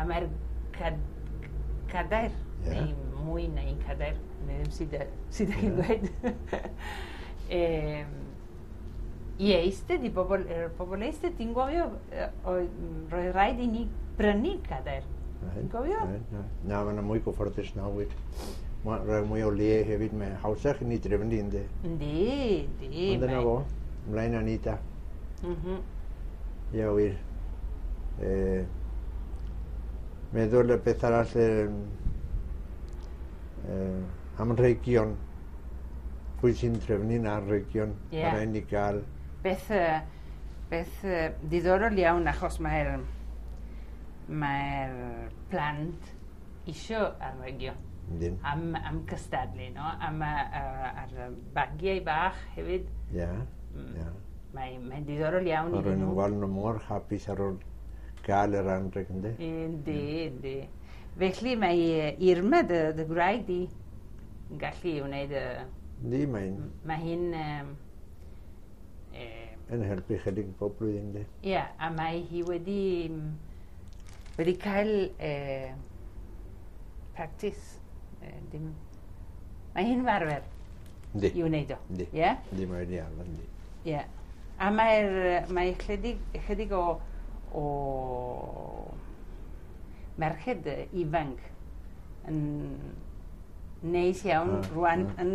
A mae'r cadair, neu mwy na un cadair, neu ddim sydd sydd chi'n dweud. I eistedd, i bobl, yr bobl eistedd, ti'n gofio, roedd rhaid i ni brynu cadair. Ti'n gofio? Na, mae'n mwy gyfforddus nawr. Mae'n rhoi mwy o le hefyd, mae'n hawsach i ni drefnu, ynddi? Yndi, yndi. Ond dyna fo, ymlaen â ni ta. Ie, wir. Meddwl y beth arall am anrhegion. Pwy sy'n trefnu'n anrhegion? Yeah. Mae rhaid ni gael. Beth diddorol iawn, achos mae'r plant isio anrhegion. Am cystadlu, no? Am ar bagiau bach hefyd. Ie, ie. Mae'n diddorol iawn iddyn nhw. Maen nhw'n gweld nhw mor hapus ar ôl gael yr anrheg, yndi? Yndi, yndi. Felly mae Irma, dy gwraig di, yn gallu wneud y... Yndi, mae'n... Mae hi'n... yn helpu chydig bob blwyddyn, yndi? Ie, a mae hi wedi cael practice. Mae hi'n arfer i wneud o. Yndi. Ie? Yndi, mae wedi arfer, yndi. Ie. A mae chydig o merched ifanc yn neis iawn rwan yn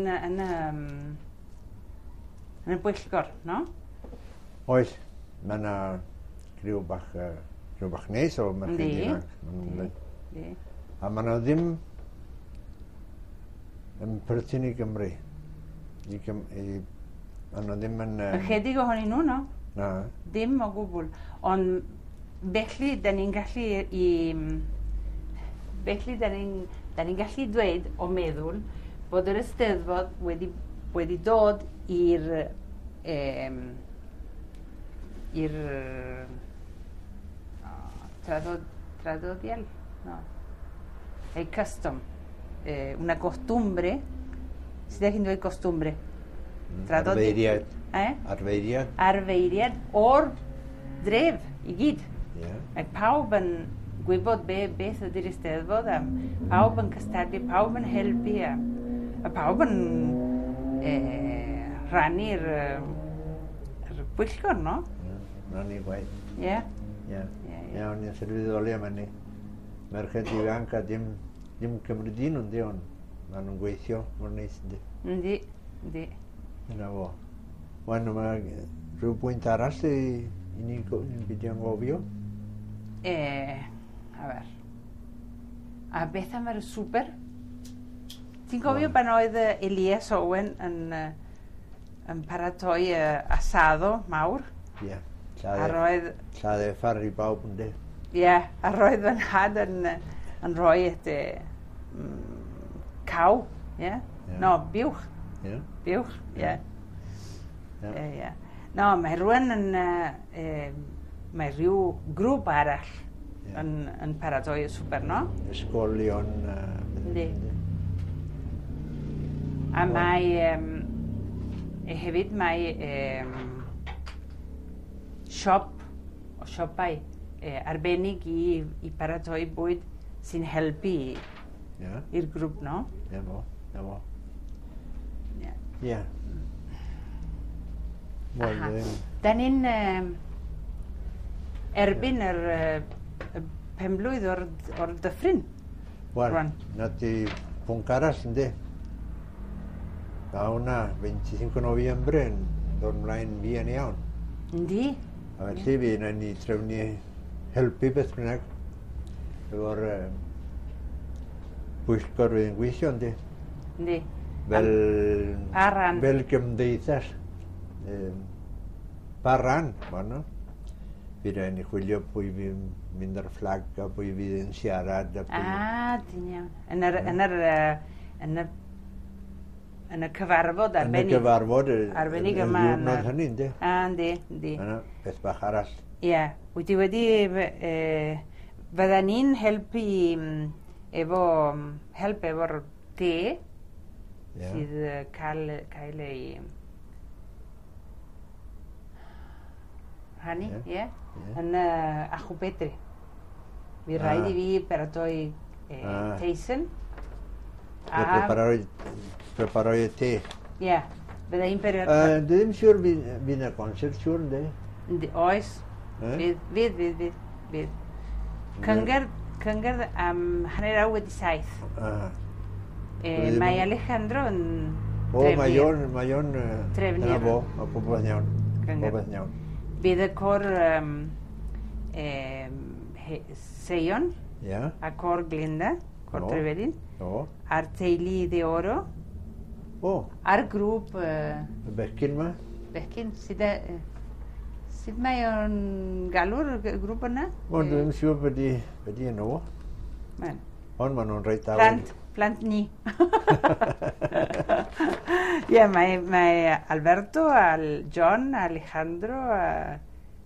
y bwyllgor, no? Oes, mae yna criw bach neis o merched ifanc. Yndi. A mae yna ddim yn perthyn i Gymru. Mae nhw ddim yn... Ychydig ohonyn nhw, no? Na. Dim o gwbl. Ond felly, da ni'n gallu Felly, da ni'n gallu dweud o meddwl bod yr Eisteddfod wedi dod i'r traddodiad, no? El custom, una costumbre, sydd chi'n dweud costumbre? Arfeiriad. Arfeiriad. Arfeiriad o'r dref i gyd. Mae pawb yn gwybod beth ydy'r Eisteddfod, a pawb yn cystadlu, pawb yn helpu, a pawb yn rhannu'r bwyllgor, no? Rhannu gwaith. Ie. Ie. Ie, o'n i'n sylweddoli am hynny. Merched ifanc a dim Cymru dyn nhw'n di, ond maen nhw'n gweithio mor neis, yndi? Yndi, yndi. Dyna fo. Wan, mae rhyw bwynt arall i ni beidio anghofio? A ber. A beth am yr swper? Ti'n cofio pan oedd Elias Owen yn paratoi asado mawr? Ie. Lladd effar i bawb, yndi? Ie, a roedd fy nhad yn rhoi caw, ie? No, buwch. Buwch, ie. Ie. No, mae rhywun yn... Mae rhyw grŵp arall yn paratoi y swper, no? Ysgolion... Yndi. A mae... Hefyd mae siop, o siopau arbennig i paratoi bwyd sy'n helpu i'r grŵp, no? Ie, fo. Ie, fo. Ie. Da ni'n erbyn yr penblwydd o'r dyffryn. Wel, na ti pwnc arall, yndi? A hwnna, 25 Nofiembre yn dod ymlaen fuan iawn. Yndi. A felly fi yna ni trefnu helpu beth bynnag efo'r bwyllgor fydd yn gweithio, yndi? Yndi. Fel, fel gymdeithas. Pa ran, bueno. Fi rhaid ni chwilio pwy fi'n mynd ar fflag a pwy fydd yn siarad. A pwy... Ah, ti'n iawn. Yn y cyfarfod arbennig. Yn y cyfarfod arbennig yma. Y diwrnod hynny, yndi? Ah, yndi, yndi. Yna, beth bach arall. Ie, wyt ti wedi... Fydda ni'n helpu efo... help efo'r te sydd cael ei... rhannu, ie? Yn Achubedri. Fi rhaid i fi paratoi teisen. A preparoi y te. Ie, bydda i'n paratoi. Dwi ddim siŵr fydd yna concert, siŵr, ynddi? Oes. Fydd. Cyngerdd am 7:30. Mae Alejandro yn trefnu. O, mae o'n trefnu. Dyna fo, mae popeth iawn. Popeth iawn. Bydd y cor Seion a cor Glenda, cor Trevelin, a'r teulu de Oro, a'r grŵp... Y bechgyn ma? Bechgyn, sut mae o'n galw'r grŵp yna? O, dwi ddim siŵr beth i enw. Ond maen nhw'n reit dawel. Plant ni. Ie, mae Alberto, John, Alejandro...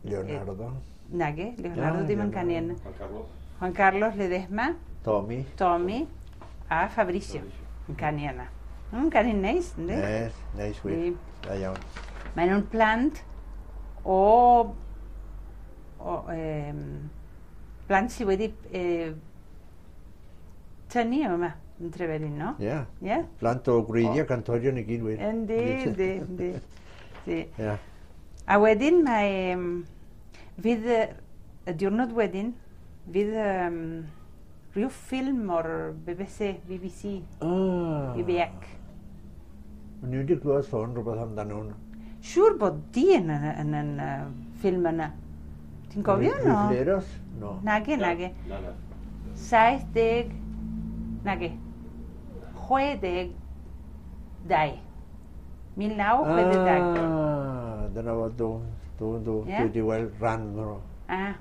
Leonardo. Nage, Leonardo ddim yn canu yna. Juan Carlos. Juan Carlos Ledesma. Tommy. A Fabricio yn canu yna. Yn canu'n neis, ynddi? Neis, neis wir. Da iawn. Maen nhw'n plant o plant sydd wedi tynnu yma yn Trevelin, no? Ie. Yeah. Plant o gwreiddiau cantorion i gyd wir. Yndi, yndi, yndi. A wedyn mae... Fydd y diwrnod wedyn, fydd rhyw ffilm o'r BBC. BBC. O'n i wedi clywed sôn rhywbeth amdano hwn. Siŵr bod di yn y ffilm yna. Ti'n gofio, no? Rifleros? No. Nage. 70, nage. 62. 1962. Ah, dyna fo, do. Dwi wedi weld rhan nhw. Ah,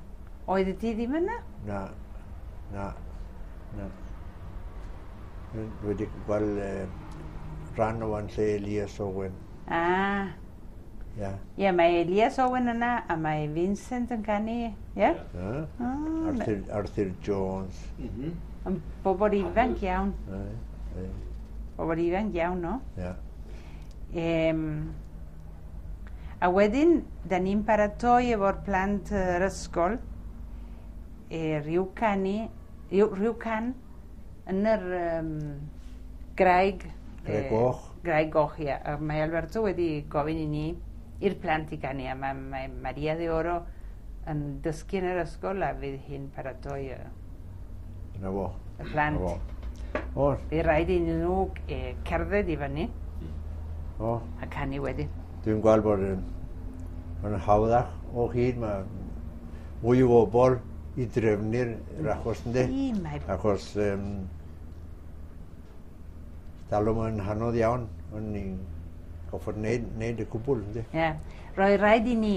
oedd ti ddim yna? Na. Dwi wedi gweld rhan o yn lle Elias Owen. Ah. Ie. Ie, mae Elias Owen yna a mae Vincent yn canu, ie? Arthur Jones. Yn bobl ifanc iawn. Bobl ifanc iawn, no? Ie. A wedyn, da ni'n paratoi efo'r plant yr ysgol rhyw can yn yr graig... Graig Goch. Graig Goch, ie. Mae Alberto wedi gofyn i ni i'r plant i canu, a mae Maria de Oro yn dysgu yn yr ysgol a fydd hi'n paratoi y plant. Bydd rhaid i nhw cerdded i fyny a canu wedyn. Dwi'n gweld bod yn hawddach o hyd, mae mwy o bobl i drefnu'r achos ynddi. Achos talwm yn hanodd iawn, ond ni'n goffod wneud y cwbl ynddi. Ie, roedd rhaid i ni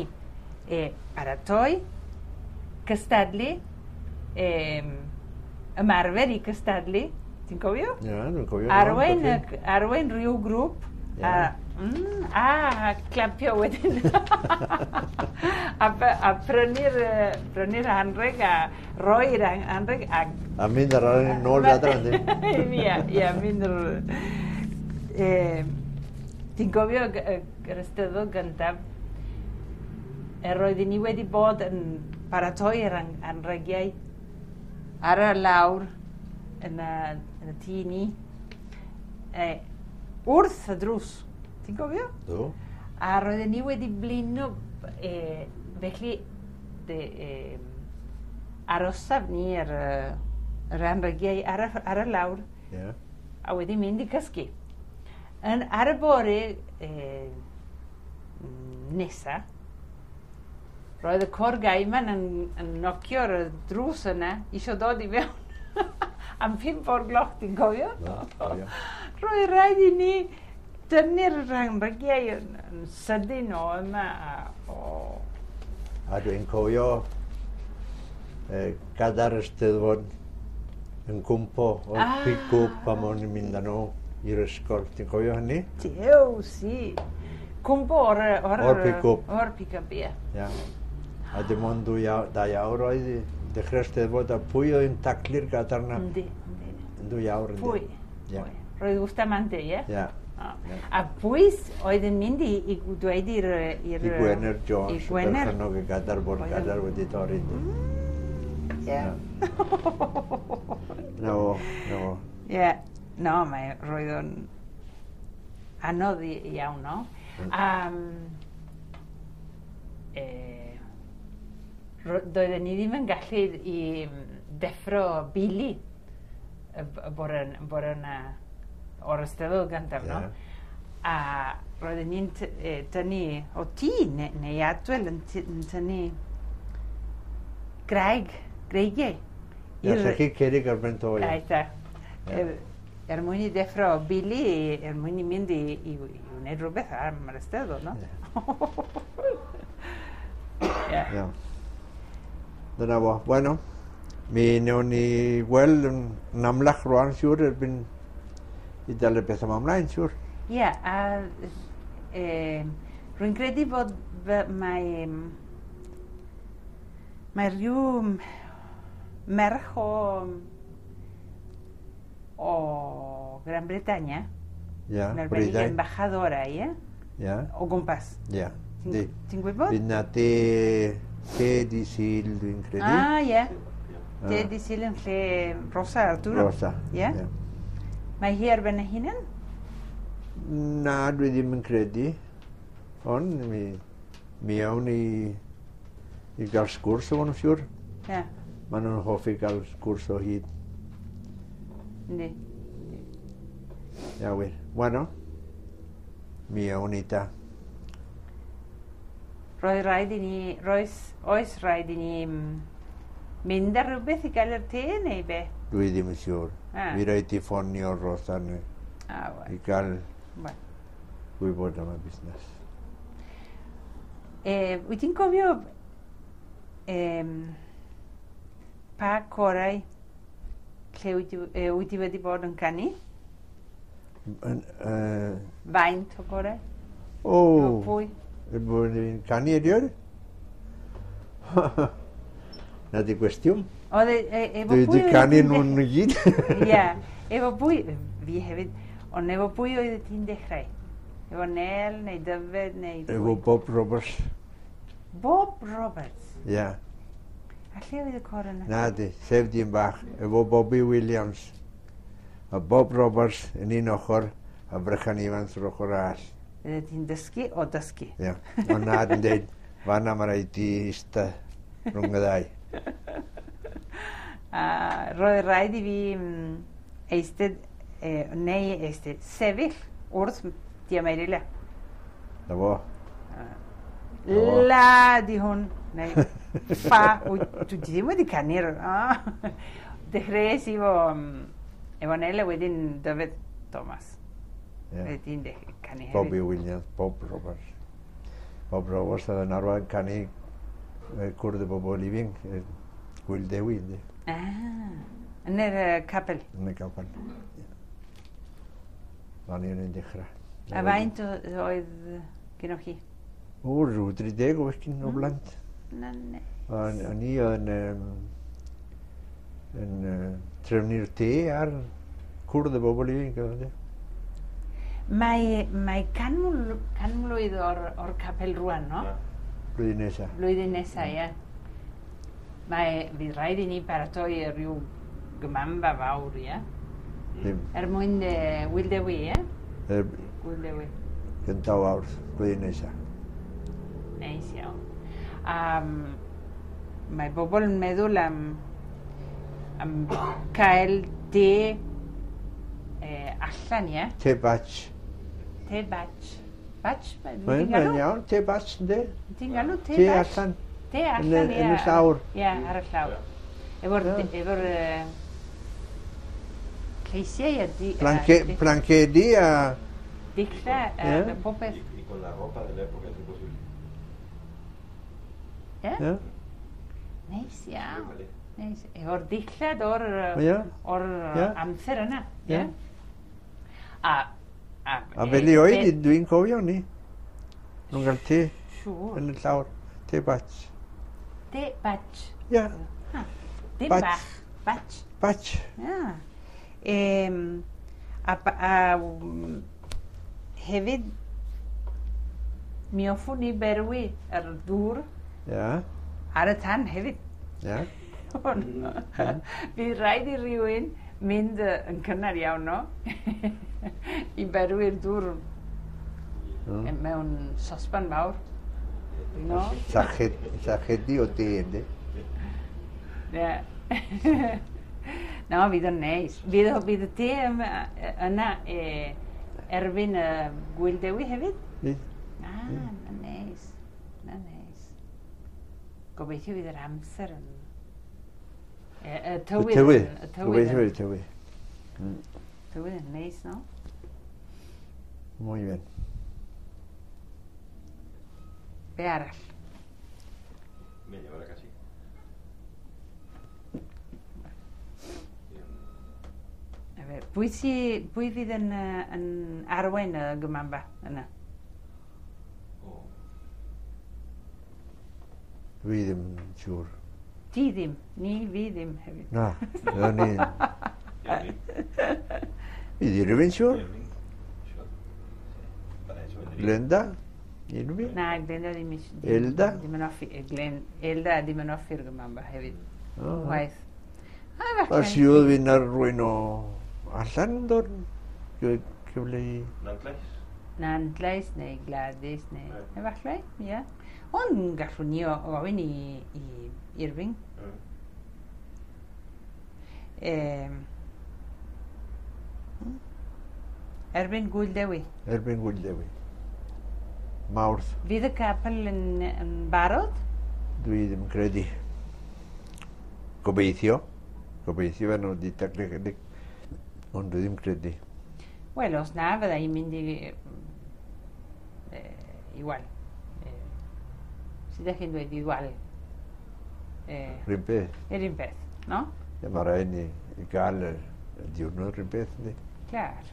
paratoi, cystadlu, ymarfer i cystadlu, ti'n cofio? Ie, dwi'n cofio. Arwain rhyw grŵp. A clapio wedyn. A prynu'r anrheg a roi'r anrheg a... A mynd ar ôl nôl adra, yndi? Ie, ie, mynd ar... Ti'n cofio yr Eisteddfod gyntaf, roeddwn ni wedi bod yn paratoi yr anrhegiau ar y lawr yn y tŷ ni, wrth y drws. Ti'n cofio? Do. A roedden ni wedi blino, felly arosaf ni ar yr anrhegiau ar y lawr, a wedi mynd i cysgu. Ar y bore nesa, roedd y cor gaiman yn nocio ar y drws yna, isio dod i mewn. Am 5 o'r gloch, ti'n cofio? Do, cofio. Roedd rhaid i ni dynnu'r anrhegiau yn sydyn o yma. A dwi'n cofio gadair y Steddfod yn cwmpo o'r pick-up pan o'n i'n mynd â nhw i'r ysgol. Ti'n cofio hynny? Dew, si. Cwmpo o'r pick-up. O'r pick-up, ie. Ia. A dim ond 2 awr oedd i dechrau'r Steddfod, a pwy oedd yn taclu'r gadair yna? Yndi, yndi. Yn 2 awr, yndi. Pwy? Ie. Roedd Bustamante, ie? Ie. A pwy oedd yn mynd i dweud i'r... I Gwener Jones, berchennog y gadair, bod gadair wedi torri. Ie. Na fo, na fo. Ie. No, mae, roedd o'n anodd iawn, no? Doedden ni ddim yn gallu i deffro Billy y bore yna o'r Eisteddfod gyntaf, no? A roedden ni'n tynnu, o ti neu Adwel yn tynnu greigiau. Ie, llechi cerrig ar ben to, ie. Aita. Er mwyn i ddeffro Billy, er mwyn i mynd i wneud rhywbeth am yr Eisteddfod, no? Ie. Ie. Dyna fo. Bueno, mi wnawn ni weld yn amlach rwan, siŵr, erbyn i dal y beth yma ymlaen, siŵr. Ie, a rwy'n credu bod mae rhyw merch o Gran Bretaña, yn arbennig embajadora, ie? Ie. O gwmpas. Ie. Ti'n gwybod? Fydd na te di Sul, dwi'n credu. Ah, ie. Te di Sul yn lle Rosa Arturo. Rosa, ie. Mae hi ar ben ei hunan? Na, dwi ddim yn credu. Ond mi awn i gael sgwrs o nhw'n siŵr. Ie. Maen nhw'n hoffi gael sgwrs o hyd. Yndi. Ia, wir. Bueno, mi awn ni ta. Roedd rhaid i ni, oes rhaid i ni mynd ar rhywbeth i gael yr te neu be? Dwi ddim yn siŵr. Mi rhaid i ffonio Rosa i gael gwybod am y busnes. Wyt ti'n cofio pa corau lle wyt ti wedi bod yn canu? Faint o gorau? O! Pwy? Bod yn canu erioed? Na di gwestiwn. Dwi wedi canu nhw'n gyd. Ie, efo pwy, fi hefyd, ond efo pwy oedd ti'n dechrau? Efo Nel neu Dyfed neu pwy? Efo Bob Roberts. Bob Roberts? Ie. A lle oedd y cor yna? Na di, sef dyn bach, efo Bobby Williams. A Bob Roberts yn un ochr, a Brychan Evans yr ochr arall. Fydde ti'n dysgu o dysgu. Ie, ond nad yn dweud, fanna mae rhaid i ista rhwng y ddau. A roedd rhaid i fi eistedd, neu eistedd, sefyll wrth Diamerila. Na fo. La di hwn, neu ffa, dwi ddim wedi canu'r... Dechreuais i efo Nel a wedyn Dyfed Thomas. Wedyn canu hefyd. Bobby Williams, Bob Roberts. Bob Roberts oedd yn arwain canu cwrdd y bobl ifanc, Gwyl Dewi, ynddi. Ah, yn yr capel? Yn y capel, ie. Fan i'n dechrau. A faint oedd gennych chi? O, rhyw 30 o fechgyn o blant. Na, ne. O'n i yn trefnu'r te ar cwrdd y bobl ifanc. Mae 100 mlwydd o'r capel rwan, no? Blwyddyn nesaf. Blwyddyn nesaf, ie. Mae, fydd rhaid i ni paratoi rhyw gymanfa fawr, ie? Er mwyn Gwyl Dewi, ie? Gwyl Dewi. Gyntaf awr, blwyddyn nesaf. Neis iawn. Mae bobl yn meddwl am cael te allan, ie? Te batch. Te batch. Batch? Mae'n iawn, te batch, ynddi? Ti'n galw te batch? Te allan. Te allan, ie. Yn y llawr. Ie, ar y llawr. Efo'r lleisiau a... Blancedi a... Dilla, popeth. Y con la ropa de la época, si posible. Ie? Neis iawn. Neis. Efo'r dillad o'r amser yna. Ie. A fel i oed, dwi'n cofio ni. Nhw'n cael te yn y llawr. Te batch. Te batch? Ie. Dim bach. Batch. Batch. Ie. A hefyd, mi hoffwn i berwi yr dŵr ar y tan hefyd. Ie. hwn. Fydd rhaid i rywun mynd yn cynnar iawn, no? I berwi'r dŵr mewn sosban fawr. No? Sachedi o te, ynddi? Ie. No, fydd o'n neis. Fydd y te yna erbyn y Gwyl Dewi hefyd? Fydd. Ah, na neis. Na neis. Gobeithio fydd yr amser yn... Y tywydd. Y Y tywydd. tywydd. Gobeithio fydd y tywydd. Tywydd yn neis, no? Muy bien. Be arall? Media hora casi. A fer, pwy fydd yn arwain y gymanfa yna? O, Dwi ddim yn siŵr. Ti ddim, ni fi ddim hefyd. Na, na ni. Irving. Fydd Irving siŵr? Irving. Sure. Sí. Para eso vendría. Glenda? Irving? Na, Glenda ddim Elda? Ddim yn hoffi, Glen, Elda ddim yn hoffi'r gymanfa hefyd. Ah. Waith. A A falle. si oedd fi'n ar rwy'n o allan yn dod? Cyfle i... Nantlais? Nantlais neu Gladys neu... Ie. Efallai, ie. Ond gallwn ni ofyn i Irving. Erbyn Gwyl Dewi. Erbyn Gwyl Dewi. Mawrth, Fydd y capel yn barod? Dwi ddim yn credu. Gobeithio. Gobeithio fe nhw wedi taclu chydig. Ond dwi ddim credu. Wel, os na, fydda i'n mynd i... Igual. Sut ydych chi'n dweud igual? Rhywun peth. Yr un peth, no? Ie, mae rhaid ni i gael y diwrnod rhywun peth, yndi? Clar.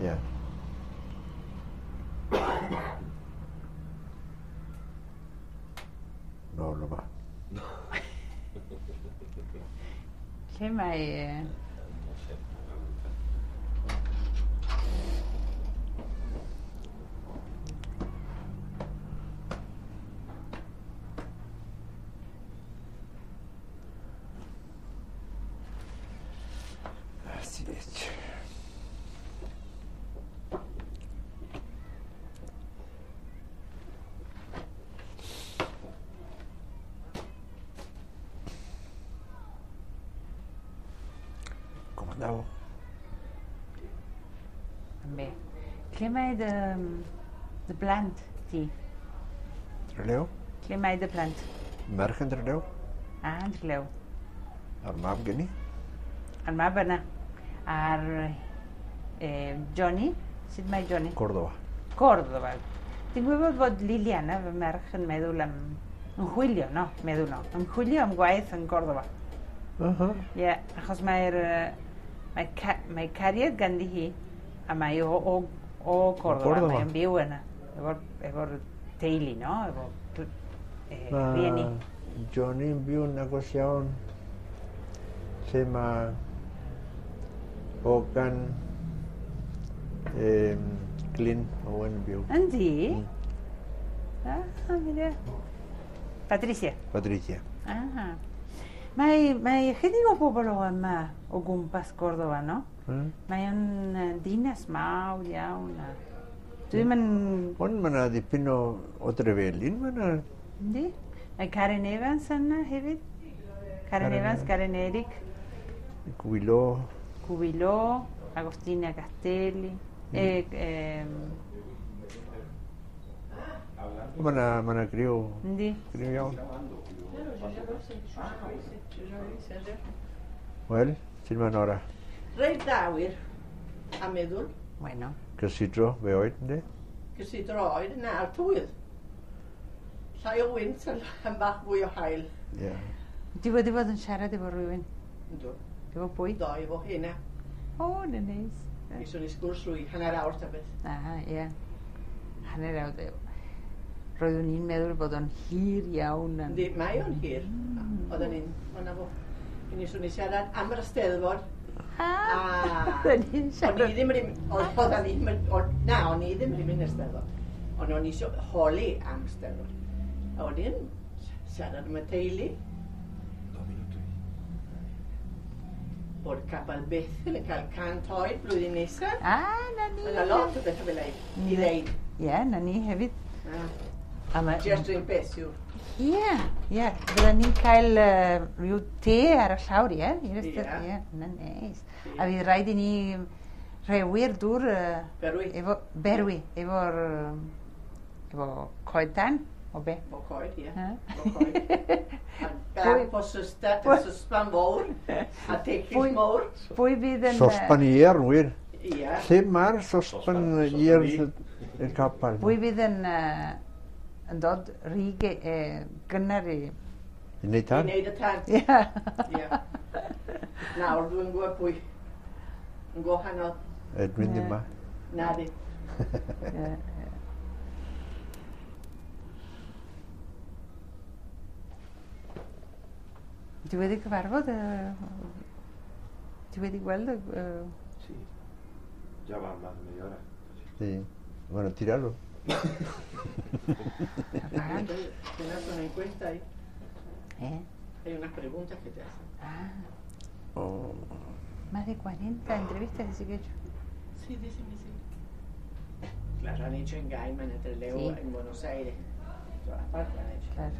Ie. No, no ma. Lle mae... No sé. Así es. ¿Cómo andamos? També. Lle mae dy blant ti? Trelew? Lle mae dy blant? Merch yn Trelew? Ah, yn Trelew. A'r mab gen i? A'r mab yna. A'r Johnny? Sut mae Johnny? Córdoba. Córdoba. Ti'n gwybod bod Liliana, fy merch, yn meddwl am... Yn chwilio, no, meddwl no. Yn chwilio am gwaith yn Córdoba. Ie, yeah, achos mae cariad ganddi hi, a mae o Córdoba, Córdoba. Mae'n byw yna, efo'r teulu, no? Efo rhieni. Johnny'n byw'n agos iawn lle mae Hogan Glyn Owen yn byw. Yndi? Ah, mira. Patricia. Patricia. Ah. Mae ychydig o bobl o yma o gwmpas Córdoba, no? Mae o'n dinas mawr iawn. Dwi ddim yn... Ond mae yna dipyn o Drefelin, mae yna... Yndi? Mae Karen Evans yna hefyd. Karen Karen Evans, Karen Eric, Gwilo, Cubiló, Agostina Castelli. Mae yna griw, Yndi? griw iawn. Wel, sut mae'n ora? Reit dda wir, a meddwl, Bueno. Cysidro, fe oed, yndi? gysidro oed, na'r tywydd. Llai o wynt a bach fwy o haul. Ie. Ti wedi bod yn siarad efo rhywun? Yndw. Efo pwy? Do, efo hynna. O, na neis. Iswn i sgwrs rwy hanner awr ta beth. Ah, ie. Hanner awr. Roeddwn i'n meddwl bod o'n hir iawn. Yn... Yndi, mae o'n hir. Oedden ni'n, o'na fo. Mi swn i siarad am yr Eisteddfod. Ah, oedden ni'n O'n i siarad. ddim wedi, oedden ni'n, na, o'n i ddim wedi mynd i'r Eisteddfod. Ond o'n i eisiau holi am Steddfod. A wedyn, siarad am y teulu. Bod Capel Bethel yn cael 100 oed blwyddyn nesaf. Ah, na ni. Yna lot o bethau fel ei i ddeud. Ie, na ni hefyd. Ah, A ma- Just un peth yw'r... Ie, ie. Fydden ni'n cael rhyw te ar y llawr, ie? I'r Ie. Ie, na neis. A fydd rhaid i ni rewi'r dŵr Berwi. efo, berwi, efo'r efo coed tan, o be? O coed, ie. Ha? O coed. A bag o sysban fawr. A tecll Pwy- mawr. Pwy fydd yn... Sosban ier, wir. Ie. Lle mae'r sosban Sosban ier fi. y capel? Pwy fydd yn, yn dod rhy gynnar i... I wneud I tan? wneud y tan. Ie. Ie. Nawr dwi'n gwybod pwy. Yn gwahanol. Edwin Ie. ddim ma. Na di. Ie, ie. Ti wedi cyfarfod? Ti wedi gweld y... Sí. Ya va más de media hora. Sí. Bueno, tíralo. apagar? Tienes una encuesta ahí. Eh? Hay unas preguntas que te hacen. Ah, Oh. más de 40 entrevistas dice que he hecho. Sí, dicen que sí. Claro, han hecho en Gaiman, en Trelew, Sí. en Buenos Aires. En todas partes han hecho. Claro.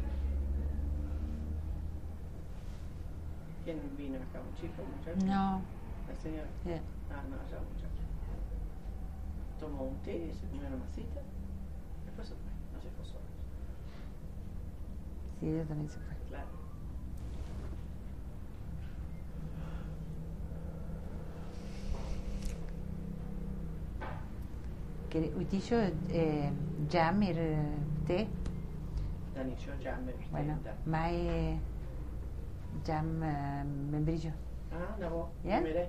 ¿Quién vino acá? ¿Un chico, un muchacho? No. La señora. Yeah. Ah, no, ya un muchacho. Tomó un té, se comió una masita. Después se fue, no se fue solo. Sí, ella también se fue. Claro. Wyt ti isio jam i'r te? Dan isio jam i'r te. Bueno, da. mae jam membrillo. Ah, na fo. Ie? Mire.